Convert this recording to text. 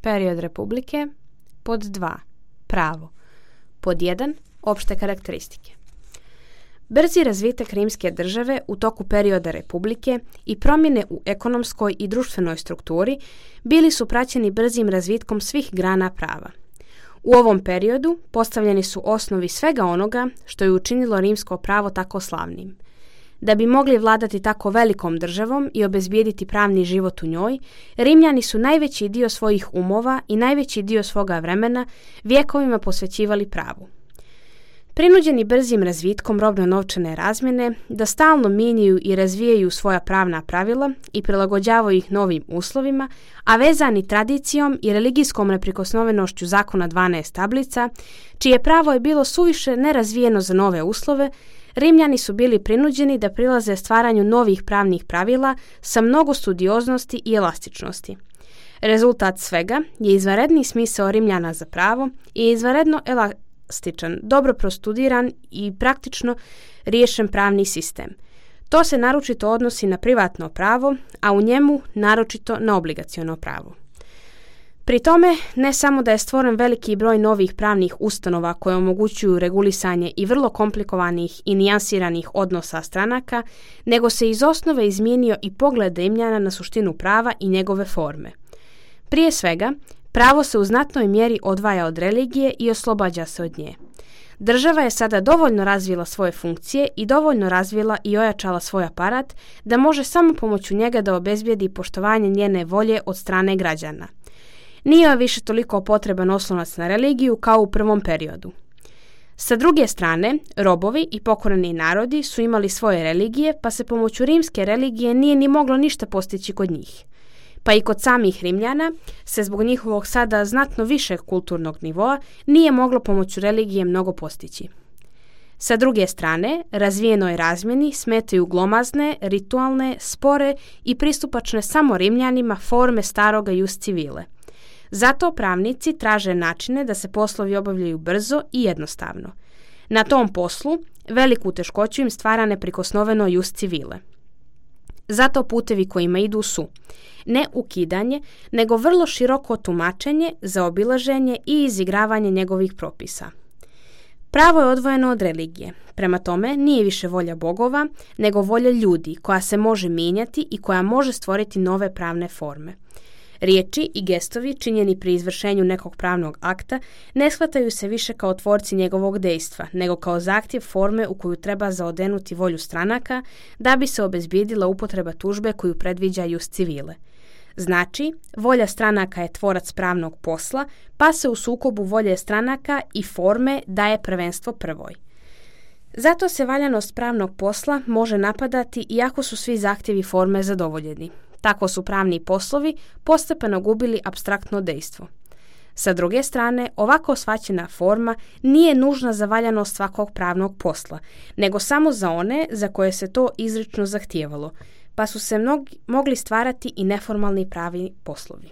Period republike. Pod 2. Pravo. Pod 1. Opšte karakteristike. Brzi razvitak rimske države u toku perioda republike i promjene u ekonomskoj i društvenoj strukturi bili su praćeni brzim razvitkom svih grana prava. U ovom periodu postavljeni su osnovi svega onoga što je učinilo rimsko pravo tako slavnim. Da bi mogli vladati tako velikom državom i obezbijediti pravni život u njoj, Rimljani su najveći dio svojih umova i najveći dio svoga vremena vjekovima posvećivali pravu. Prinuđeni brzim razvitkom robno-novčane razmjene da stalno mijenjaju i razvijaju svoja pravna pravila i prilagođavaju ih novim uslovima, a vezani tradicijom i religijskom neprikosnovenošću zakona 12 tablica, čije pravo je bilo suviše nerazvijeno za nove uslove, Rimljani su bili prinuđeni da prilaze stvaranju novih pravnih pravila sa mnogo studioznosti i elastičnosti. Rezultat svega je izvanredni smisao Rimljana za pravo i izvanredno elastičan, dobro prostudiran i praktično riješen pravni sistem. To se naročito odnosi na privatno pravo, a u njemu naročito na obligaciono pravo. Pri tome, ne samo da je stvoren veliki broj novih pravnih ustanova koje omogućuju regulisanje i vrlo komplikovanih i nijansiranih odnosa stranaka, nego se iz osnove izmijenio i pogled Rimljana na suštinu prava i njegove forme. Prije svega, pravo se u znatnoj mjeri odvaja od religije i oslobađa se od nje. Država je sada dovoljno razvila svoje funkcije i dovoljno razvila i ojačala svoj aparat da može samo pomoću njega da obezbijedi poštovanje njene volje od strane građana. Nije više toliko potreban oslonac na religiju kao u prvom periodu. Sa druge strane, robovi i pokoreni narodi su imali svoje religije, pa se pomoću rimske religije nije ni moglo ništa postići kod njih. Pa i kod samih Rimljana se zbog njihovog sada znatno višeg kulturnog nivoa nije moglo pomoću religije mnogo postići. Sa druge strane, razvijenoj razmjeni smetaju glomazne, ritualne, spore i pristupačne samo Rimljanima forme staroga jus civile. Zato pravnici traže načine da se poslovi obavljaju brzo i jednostavno. Na tom poslu veliku teškoću im stvara neprikosnoveno jus civile. Zato putevi kojima idu su ne ukidanje, nego vrlo široko tumačenje, zaobilaženje i izigravanje njegovih propisa. Pravo je odvojeno od religije, prema tome nije više volja bogova, nego volja ljudi koja se može mijenjati i koja može stvoriti nove pravne forme. Riječi i gestovi činjeni pri izvršenju nekog pravnog akta ne shvataju se više kao tvorci njegovog dejstva, nego kao zahtjev forme u koju treba zaodenuti volju stranaka da bi se obezbijedila upotreba tužbe koju predviđa jus civile. Znači, volja stranaka je tvorac pravnog posla, pa se u sukobu volje stranaka i forme daje prvenstvo prvoj. Zato se valjanost pravnog posla može napadati iako su svi zahtjevi forme zadovoljeni. Tako su pravni poslovi postepeno gubili apstraktno dejstvo. Sa druge strane, ovako shvaćena forma nije nužna za valjanost svakog pravnog posla, nego samo za one za koje se to izrično zahtijevalo, pa su se mogli stvarati i neformalni pravni poslovi.